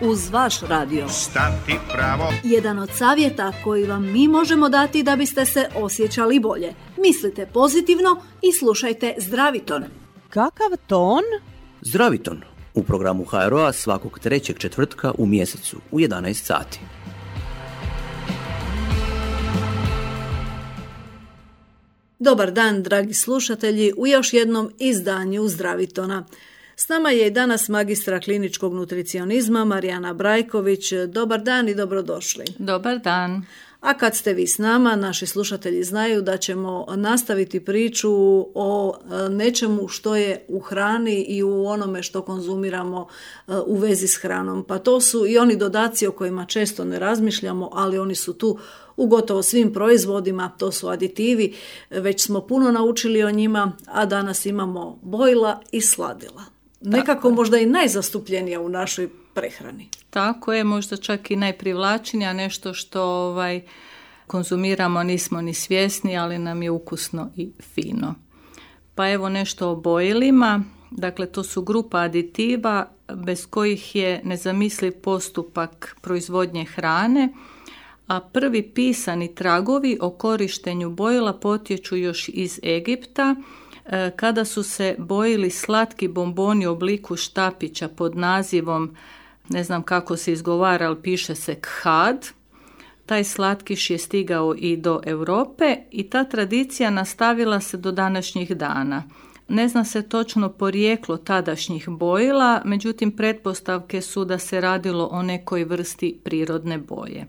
uz vaš radio. Stati pravo. Jedan od savjeta koji vam mi možemo dati da biste se osjećali bolje. Mislite pozitivno i slušajte Zdraviton. Kakav ton? Zdraviton u programu HRO-a svakog trećeg četvrtka u mjesecu u 11 sati. Dobar dan, dragi slušatelji, u još jednom izdanju Zdravitona. S nama je i danas magistra kliničkog nutricionizma Marijana Brajković. Dobar dan i dobrodošli. Dobar dan. A kad ste vi s nama, naši slušatelji znaju da ćemo nastaviti priču o nečemu što je u hrani i u onome što konzumiramo u vezi s hranom. Pa to su i oni dodaci o kojima često ne razmišljamo, ali oni su tu u gotovo svim proizvodima, to su aditivi. Već smo puno naučili o njima, a danas imamo bojila i sladila. Nekako možda i najzastupljenija u našoj prehrani. Tako je, možda čak i najprivlačnija, nešto što konzumiramo, nismo ni svjesni, ali nam je ukusno i fino. Pa evo nešto o bojilima. Dakle, to su grupa aditiva bez kojih je nezamisliv postupak proizvodnje hrane, a prvi pisani tragovi o korištenju bojila potječu još iz Egipta, kada su se bojili slatki bomboni u obliku štapića pod nazivom, ne znam kako se izgovara, ali piše se khad. Taj slatkiš je stigao i do Europe i ta tradicija nastavila se do današnjih dana. Ne zna se točno porijeklo tadašnjih bojila, međutim pretpostavke su da se radilo o nekoj vrsti prirodne boje.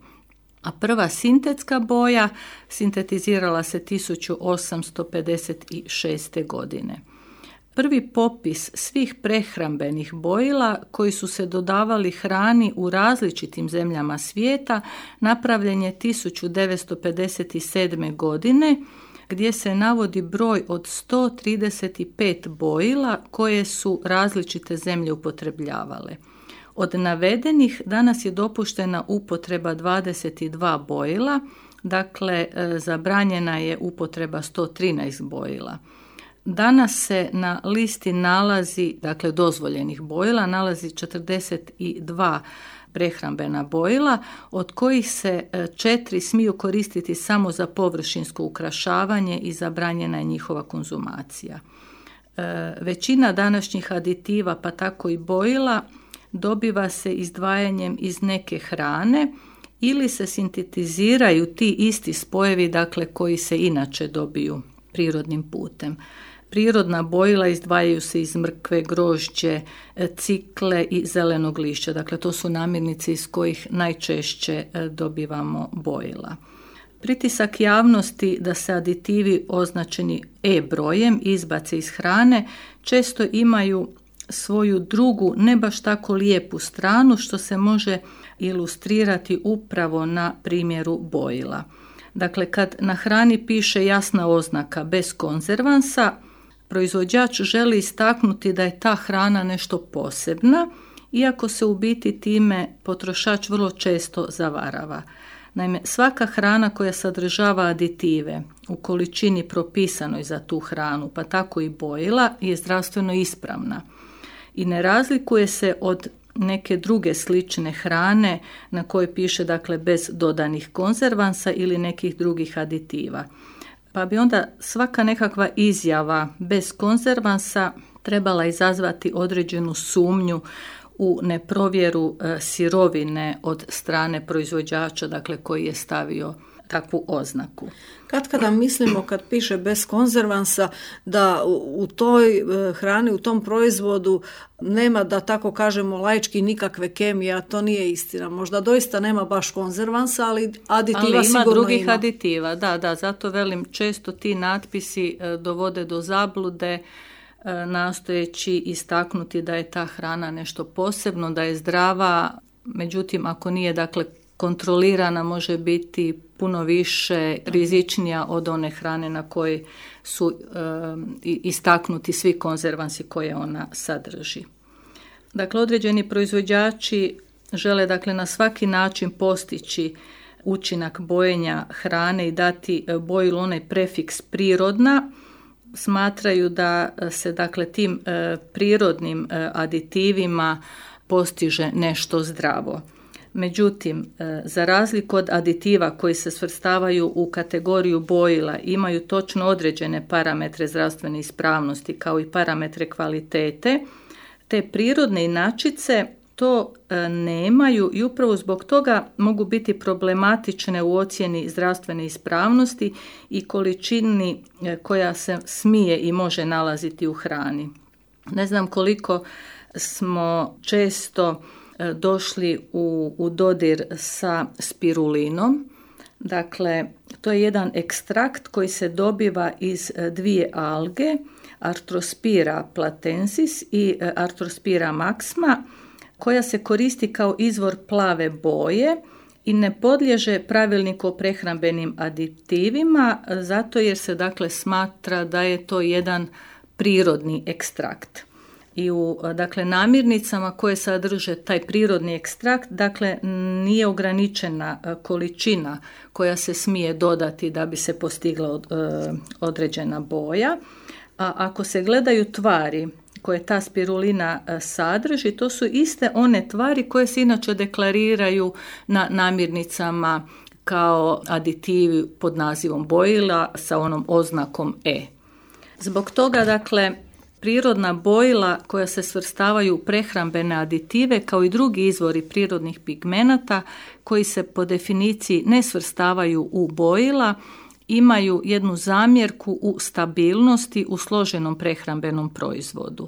A prva sintetska boja sintetizirala se 1856. godine. Prvi popis svih prehrambenih bojila koji su se dodavali hrani u različitim zemljama svijeta napravljen je 1957. godine, gdje se navodi broj od 135 bojila koje su različite zemlje upotrebljavale. Od navedenih danas je dopuštena upotreba 22 bojila, dakle zabranjena je upotreba 113 bojila. Danas se na listi nalazi, dakle dozvoljenih bojila, nalazi 42 prehrambena bojila, od kojih se 4 smiju koristiti samo za površinsko ukrašavanje i zabranjena je njihova konzumacija. Većina današnjih aditiva, pa tako i bojila, dobiva se izdvajanjem iz neke hrane ili se sintetiziraju ti isti spojevi, dakle koji se inače dobiju prirodnim putem. Prirodna bojila izdvajaju se iz mrkve, grožđe, cikle i zelenog lišća. Dakle, to su namirnice iz kojih najčešće dobivamo bojila. Pritisak javnosti da se aditivi označeni E brojem izbace iz hrane često imaju svoju drugu, ne baš tako lijepu stranu, što se može ilustrirati upravo na primjeru bojila. Dakle, kad na hrani piše jasna oznaka bez konzervansa, proizvođač želi istaknuti da je ta hrana nešto posebna, iako se u biti time potrošač vrlo često zavarava. Naime, svaka hrana koja sadržava aditive u količini propisanoj za tu hranu, pa tako i bojila, je zdravstveno ispravna i ne razlikuje se od neke druge slične hrane na kojoj piše, dakle, bez dodanih konzervansa ili nekih drugih aditiva. Pa bi onda svaka nekakva izjava bez konzervansa trebala izazvati određenu sumnju u neprovjeru sirovine od strane proizvođača, dakle, koji je stavio takvu oznaku. Kada mislimo, kad piše bez konzervansa, da u toj hrani, u tom proizvodu nema, da tako kažemo laički, nikakve kemije, a to nije istina. Možda doista nema baš konzervansa, ali aditiva sigurno ima. Ali ima drugih aditiva, da, zato velim, često ti natpisi dovode do zablude, nastojeći istaknuti da je ta hrana nešto posebno, da je zdrava, međutim ako nije, dakle, kontrolirana, može biti puno više rizičnija od one hrane na kojoj su istaknuti svi konzervansi koje ona sadrži. Dakle, određeni proizvođači žele, dakle, na svaki način postići učinak bojenja hrane i dati bojilu onaj prefiks prirodna. Smatraju da se, dakle, tim prirodnim aditivima postiže nešto zdravo. Međutim, za razliku od aditiva koji se svrstavaju u kategoriju bojila, imaju točno određene parametre zdravstvene ispravnosti kao i parametre kvalitete, te prirodne inačice to nemaju i upravo zbog toga mogu biti problematične u ocjeni zdravstvene ispravnosti i količini koja se smije i može nalaziti u hrani. Ne znam koliko smo često došli u dodir sa spirulinom. Dakle, to je jedan ekstrakt koji se dobiva iz dvije alge, Arthrospira platensis i Arthrospira maxima, koja se koristi kao izvor plave boje i ne podliježe pravilniku o prehrambenim aditivima, zato jer se dakle smatra da je to jedan prirodni ekstrakt. I u namirnicama koje sadrže taj prirodni ekstrakt, dakle nije ograničena količina koja se smije dodati da bi se postigla određena boja. A ako se gledaju tvari koje ta spirulina sadrži, to su iste one tvari koje se inače deklariraju na namirnicama kao aditivi pod nazivom bojila sa onom oznakom E. Zbog toga, dakle, prirodna bojila koja se svrstavaju u prehrambene aditive kao i drugi izvori prirodnih pigmenata koji se po definiciji ne svrstavaju u bojila, imaju jednu zamjerku u stabilnosti u složenom prehrambenom proizvodu.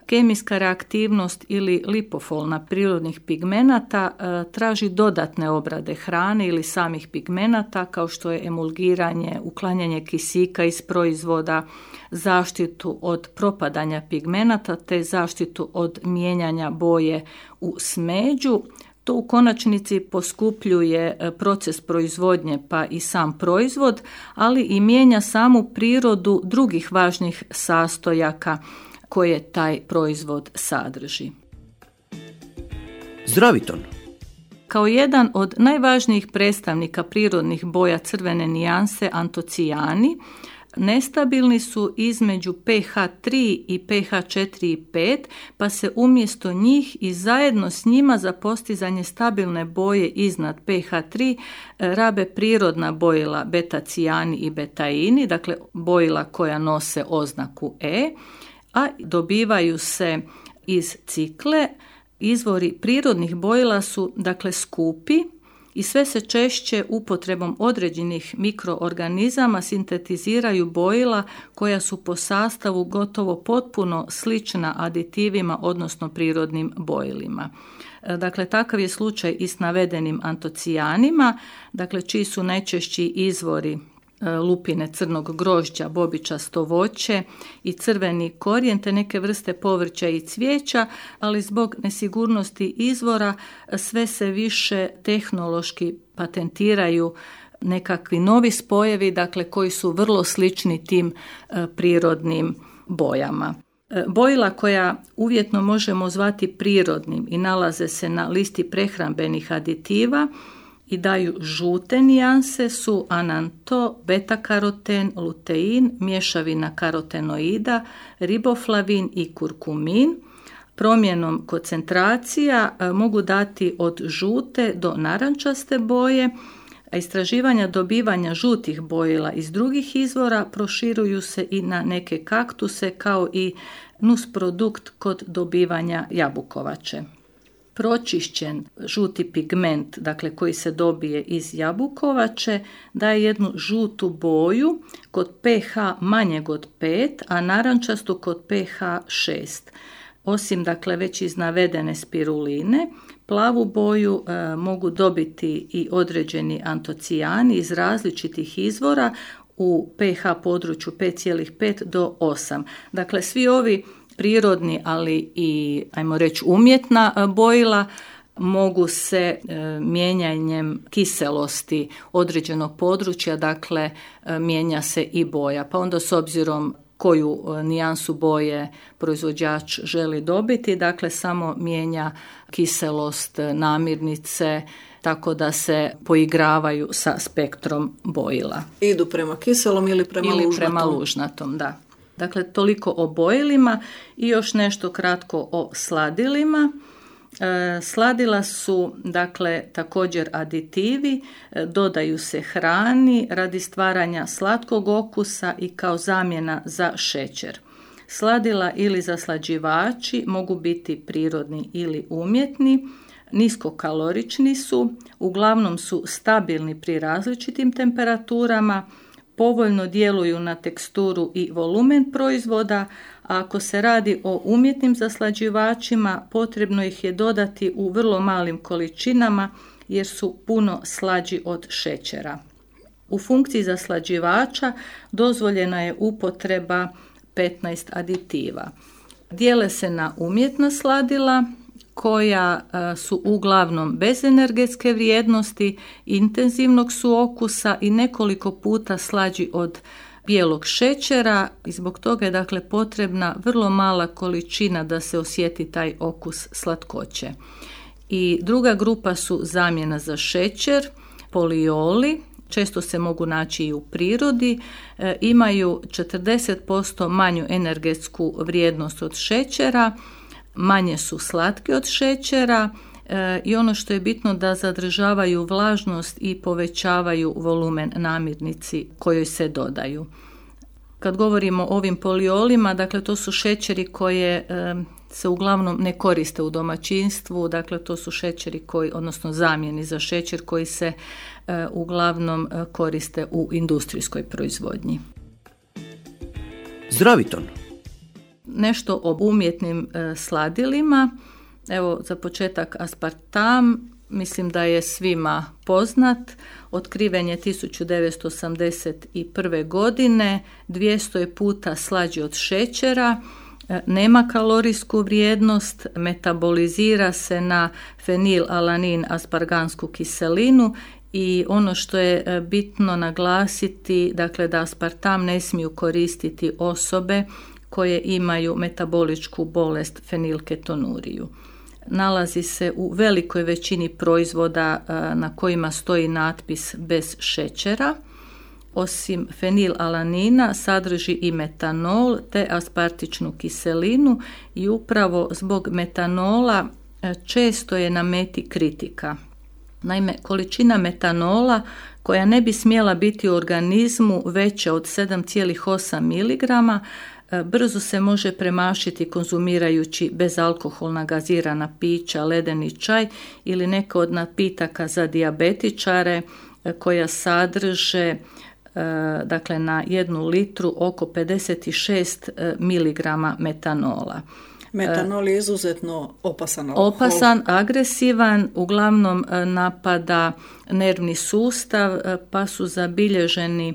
Kemijska reaktivnost ili lipofolna prirodnih pigmenata traži dodatne obrade hrane ili samih pigmenata kao što je emulgiranje, uklanjanje kisika iz proizvoda, zaštitu od propadanja pigmenata te zaštitu od mijenjanja boje u smeđu. To u konačnici poskupljuje proces proizvodnje pa i sam proizvod, ali i mijenja samu prirodu drugih važnih sastojaka koje taj proizvod sadrži. Zdraviton. Kao jedan od najvažnijih predstavnika prirodnih boja crvene nijanse antocijani, nestabilni su između pH 3 i pH 4 i 5, pa se umjesto njih i zajedno s njima za postizanje stabilne boje iznad pH 3 rabe prirodna bojila betacijani i betaini, dakle bojila koja nose oznaku E, a dobivaju se iz cikle. Izvori prirodnih bojila su dakle skupi i sve se češće upotrebom određenih mikroorganizama sintetiziraju bojila koja su po sastavu gotovo potpuno slična aditivima, odnosno prirodnim bojilima. Dakle, takav je slučaj i s navedenim antocijanima, dakle, čiji su najčešći izvori lupine crnog grožđa, bobičasto voće i crveni korijen te neke vrste povrća i cvijeća, ali zbog nesigurnosti izvora sve se više tehnološki patentiraju nekakvi novi spojevi, dakle koji su vrlo slični tim prirodnim bojama. Bojila koja uvjetno možemo zvati prirodnim i nalaze se na listi prehrambenih aditiva i daju žute nijanse su ananto, beta-karoten, lutein, mješavina karotenoida, riboflavin i kurkumin. Promjenom koncentracija mogu dati od žute do narančaste boje, a istraživanja dobivanja žutih bojila iz drugih izvora proširuju se i na neke kaktuse kao i nusprodukt kod dobivanja jabukovače. Pročišćen žuti pigment, dakle koji se dobije iz jabukovače, daje jednu žutu boju kod pH manjeg od 5, a narančastu kod pH 6. Osim dakle već iz navedene spiruline, plavu boju mogu dobiti i određeni antocijani iz različitih izvora u pH području 5,5 do 8. Dakle, svi ovi prirodni, ali i, ajmo reći, umjetna bojila mogu se mijenjanjem kiselosti određenog područja, dakle, mijenja se i boja. Pa onda s obzirom koju nijansu boje proizvođač želi dobiti, dakle, samo mijenja kiselost namirnice, tako da se poigravaju sa spektrom bojila. Idu prema kiselom ili prema lužnatom, da. Dakle, toliko o bojilima i još nešto kratko o sladilima. Sladila su dakle također aditivi, dodaju se hrani radi stvaranja slatkog okusa i kao zamjena za šećer. Sladila ili zaslađivači mogu biti prirodni ili umjetni, niskokalorični su, uglavnom su stabilni pri različitim temperaturama, povoljno djeluju na teksturu i volumen proizvoda, a ako se radi o umjetnim zaslađivačima, potrebno ih je dodati u vrlo malim količinama jer su puno slađi od šećera. U funkciji zaslađivača dozvoljena je upotreba 15 aditiva. Dijele se na umjetna sladila koja su uglavnom bez energetske vrijednosti, intenzivnog su okusa i nekoliko puta slađi od bijelog šećera i zbog toga je dakle potrebna vrlo mala količina da se osjeti taj okus slatkoće. I druga grupa su zamjena za šećer, polioli, često se mogu naći i u prirodi, imaju 40% manju energetsku vrijednost od šećera, manje su slatke od šećera i ono što je bitno da zadržavaju vlažnost i povećavaju volumen namirnici kojoj se dodaju. Kad govorimo o ovim poliolima, dakle to su šećeri koje se uglavnom ne koriste u domaćinstvu, dakle to su šećeri odnosno zamjeni za šećer koji se uglavnom koriste u industrijskoj proizvodnji. Zdraviton. Nešto o umjetnim sladilima. Evo za početak aspartam, mislim da je svima poznat. Otkriven je 1981. godine, 200 je puta slađi od šećera, nema kalorijsku vrijednost, metabolizira se na fenilalanin aspargansku kiselinu i ono što je bitno naglasiti, dakle da aspartam ne smiju koristiti osobe koje imaju metaboličku bolest fenilketonuriju. Nalazi se u velikoj većini proizvoda na kojima stoji natpis bez šećera. Osim fenilalanina sadrži i metanol te aspartičnu kiselinu i upravo zbog metanola često je na meti kritika. Naime, količina metanola koja ne bi smjela biti u organizmu veća od 7,8 mg brzo se može premašiti konzumirajući bezalkoholna gazirana pića, ledeni čaj ili neka od napitaka za dijabetičare koja sadrže dakle na 1 litru oko 56 mg metanola. Metanol je izuzetno opasan alkohol. Opasan, agresivan, uglavnom napada nervni sustav, pa su zabilježeni,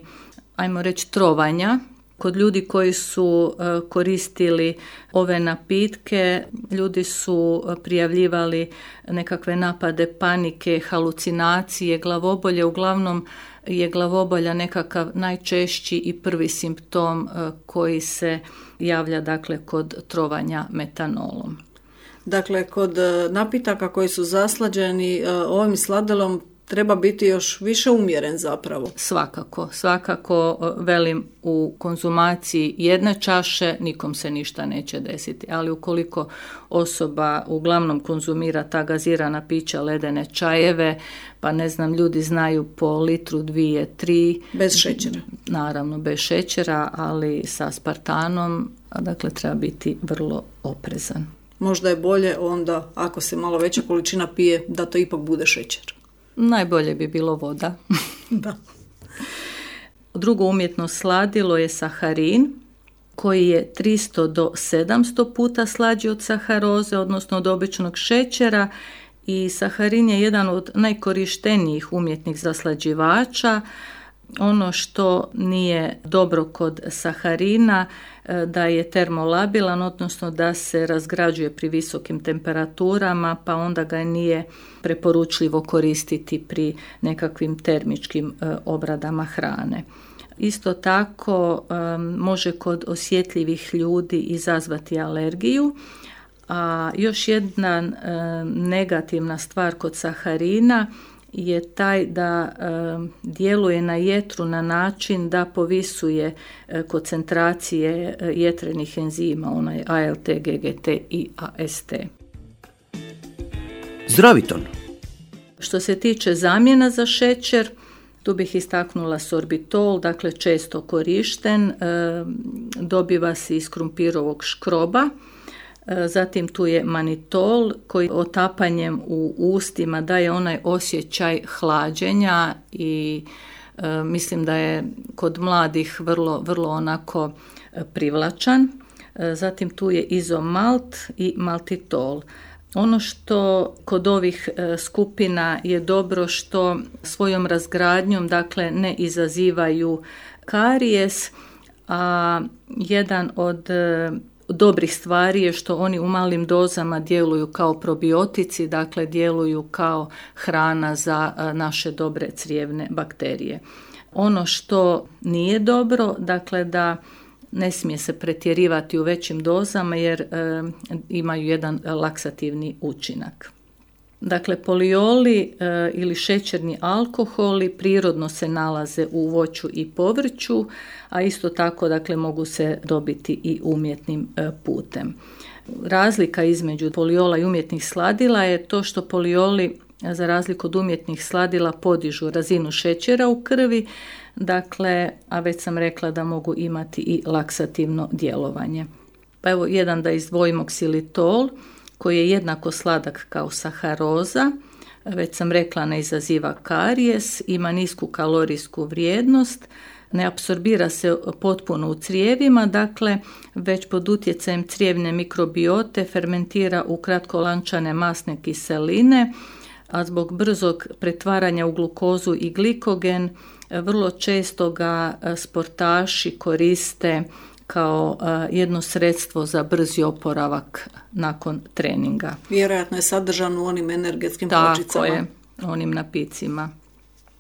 ajmo reći, trovanja. Kod ljudi koji su koristili ove napitke, ljudi su prijavljivali nekakve napade panike, halucinacije, glavobolje. Uglavnom je glavobolja nekakav najčešći i prvi simptom koji se javlja dakle kod trovanja metanolom. Dakle, kod napitaka koji su zaslađeni ovim sladilom treba biti još više umjeren zapravo. Svakako velim u konzumaciji jedne čaše nikom se ništa neće desiti, ali ukoliko osoba uglavnom konzumira ta gazirana pića, ledene čajeve, pa ne znam, ljudi znaju po litru, 2, 3. Bez šećera. Naravno, bez šećera, ali sa aspartanom, dakle treba biti vrlo oprezan. Možda je bolje onda, ako se malo veća količina pije, da to ipak bude šećer. Najbolje bi bilo voda. Da. Drugo umjetno sladilo je saharin, koji je 300 do 700 puta slađi od saharoze, odnosno od običnog šećera, i saharin je jedan od najkorištenijih umjetnih zaslađivača. Ono što nije dobro kod saharina da je termolabilan, odnosno da se razgrađuje pri visokim temperaturama, pa onda ga nije preporučljivo koristiti pri nekakvim termičkim obradama hrane. Isto tako može kod osjetljivih ljudi izazvati alergiju. A još jedna negativna stvar kod saharina je taj da djeluje na jetru na način da povisuje koncentracije jetrenih enzima, onaj ALT, GGT i AST. Zdraviton. Što se tiče zamjena za šećer, tu bih istaknula sorbitol, dakle često korišten, dobiva se iz krumpirovog škroba. Zatim tu je manitol koji otapanjem u ustima daje onaj osjećaj hlađenja i mislim da je kod mladih vrlo onako privlačan. Zatim tu je izomalt i maltitol. Ono što kod ovih skupina je dobro što svojom razgradnjom dakle ne izazivaju karijes, a jedan od dobrih stvari je što oni u malim dozama djeluju kao probiotici, dakle djeluju kao hrana za naše dobre crijevne bakterije. Ono što nije dobro, dakle da ne smije se pretjerivati u većim dozama jer imaju jedan laksativni učinak. Dakle, polioli ili šećerni alkoholi prirodno se nalaze u voću i povrću, a isto tako dakle, mogu se dobiti i umjetnim putem. Razlika između poliola i umjetnih sladila je to što polioli, za razliku od umjetnih sladila, podižu razinu šećera u krvi, dakle, a već sam rekla da mogu imati i laksativno djelovanje. Pa evo jedan da izdvojimo ksilitol, koji je jednako sladak kao saharoza, već sam rekla ne izaziva karijes, ima nisku kalorijsku vrijednost, ne apsorbira se potpuno u crijevima, dakle već pod utjecajem crijevne mikrobiote fermentira u kratkolančane masne kiseline, a zbog brzog pretvaranja u glukozu i glikogen vrlo često ga sportaši koriste kao jedno sredstvo za brzi oporavak nakon treninga. Vjerojatno je sadržan u onim energetskim pločicama. Tako je, onim napicima.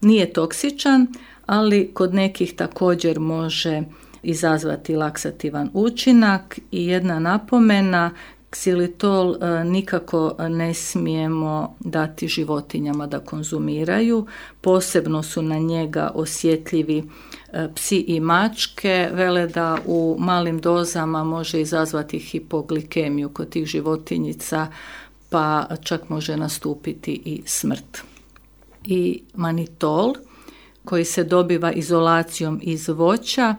Nije toksičan, ali kod nekih također može izazvati laksativan učinak i jedna napomena, ksilitol nikako ne smijemo dati životinjama da konzumiraju, posebno su na njega osjetljivi psi i mačke, vele da u malim dozama može izazvati hipoglikemiju kod tih životinjica, pa čak može nastupiti i smrt. I manitol, koji se dobiva izolacijom iz voća,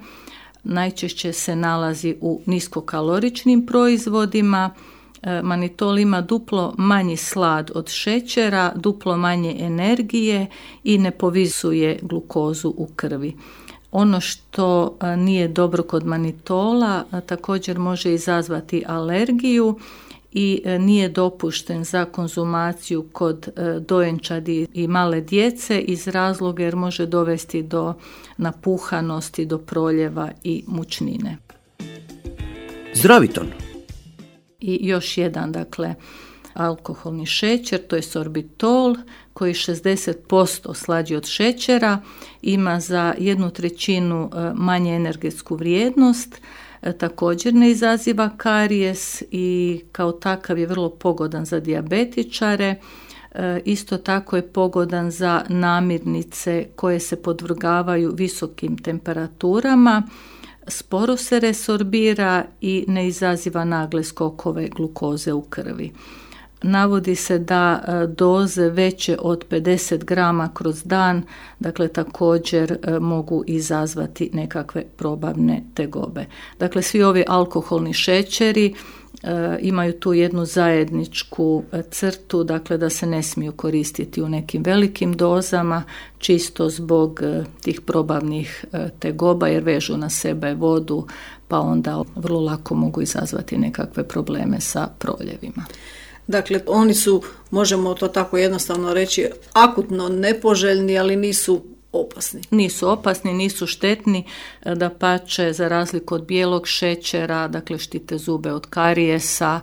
najčešće se nalazi u niskokaloričnim proizvodima. Manitol ima duplo manji slad od šećera, duplo manje energije i ne povisuje glukozu u krvi. Ono što nije dobro kod manitola također može izazvati alergiju i nije dopušten za konzumaciju kod dojenčadi i male djece iz razloga jer može dovesti do napuhanosti, do proljeva i mučnine. Zdraviton. I još jedan, dakle, alkoholni šećer, to je sorbitol, koji 60% slađi od šećera, ima za 1/3 manje energetsku vrijednost, također ne izaziva karijes i kao takav je vrlo pogodan za dijabetičare. Isto tako je pogodan za namirnice koje se podvrgavaju visokim temperaturama, sporo se resorbira i ne izaziva nagle skokove glukoze u krvi. Navodi se da doze veće od 50 grama kroz dan, dakle također mogu izazvati nekakve probavne tegobe. Dakle, svi ovi alkoholni šećeri imaju tu jednu zajedničku crtu, dakle da se ne smiju koristiti u nekim velikim dozama, čisto zbog tih probavnih tegoba jer vežu na sebe vodu, pa onda vrlo lako mogu izazvati nekakve probleme sa proljevima. Dakle, oni su, možemo to tako jednostavno reći, akutno nepoželjni, ali nisu opasni. Nisu opasni, nisu štetni, dapače za razliku od bijelog šećera, dakle štite zube od karijesa,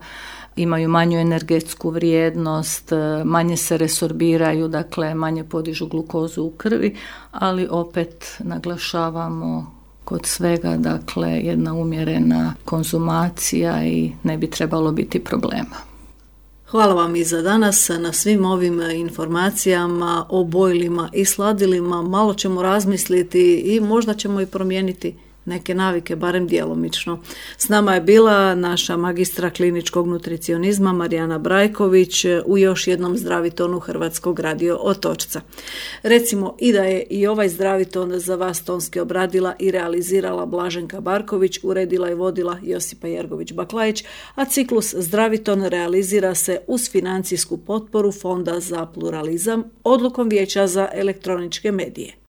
imaju manju energetsku vrijednost, manje se resorbiraju, dakle manje podižu glukozu u krvi, ali opet naglašavamo kod svega, dakle jedna umjerena konzumacija i ne bi trebalo biti problema. Hvala vam i za danas na svim ovim informacijama o bojilima i sladilima. Malo ćemo razmisliti i možda ćemo i promijeniti neke navike, barem djelomično. S nama je bila naša magistra kliničkog nutricionizma Marijana Brajković u još jednom zdravitonu Hrvatskog radio Otočca. Recimo i da je i ovaj zdraviton za vas tonski obradila i realizirala Blaženka Barković, uredila i vodila Josipa Jergović-Baklajić, a ciklus Zdraviton realizira se uz financijsku potporu Fonda za pluralizam odlukom Vijeća za elektroničke medije.